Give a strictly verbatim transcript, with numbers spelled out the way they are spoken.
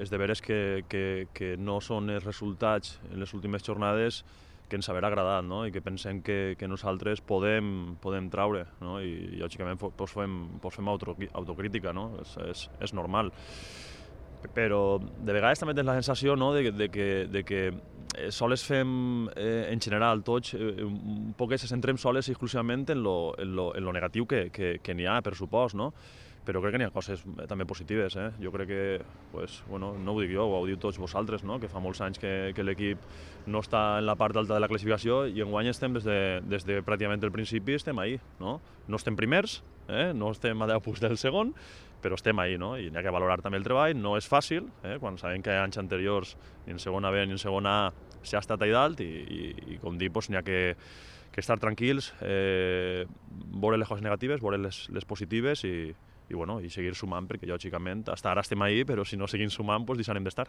és de veres que, que, que no són els resultats en les últimes jornades que ens haver agradat, no? I que pensem que, que nosaltres podem, podem traure, no? I lògicament pues fem, pues fem autocrítica, no? És, és, és normal. Però de vegades també tens la sensació, no? de, de, que, de que sols fem, eh, en general, tots, eh, un poc que se centrem sols exclusivament en lo, en lo, en lo negatiu que, que, que n'hi ha, per supost, no? Però crec que n'hi ha coses també positives, eh? Jo crec que, pues, bueno, no ho dic jo, ho diu tots vosaltres, no? Que fa molts anys que, que l'equip no està en la part alta de la classificació i enguany estem des de, des de pràcticament el principi, estem ahí, no? No estem primers, eh? No estem a deu punts del segon, però estem ahí, no? I n'hi ha que valorar també el treball, no és fàcil, eh? Quan sabem que anys anteriors, ni en segona B ni en segona A, s'ha estat allà dalt i, i, i com dic, pues, n'hi ha que, que estar tranquils, eh, veure les coses negatives, veure les, les positives i, i, bueno, i seguir sumant, perquè lògicament, hasta ara estem ahí, però si no seguim sumant, doncs deixarem d'estar.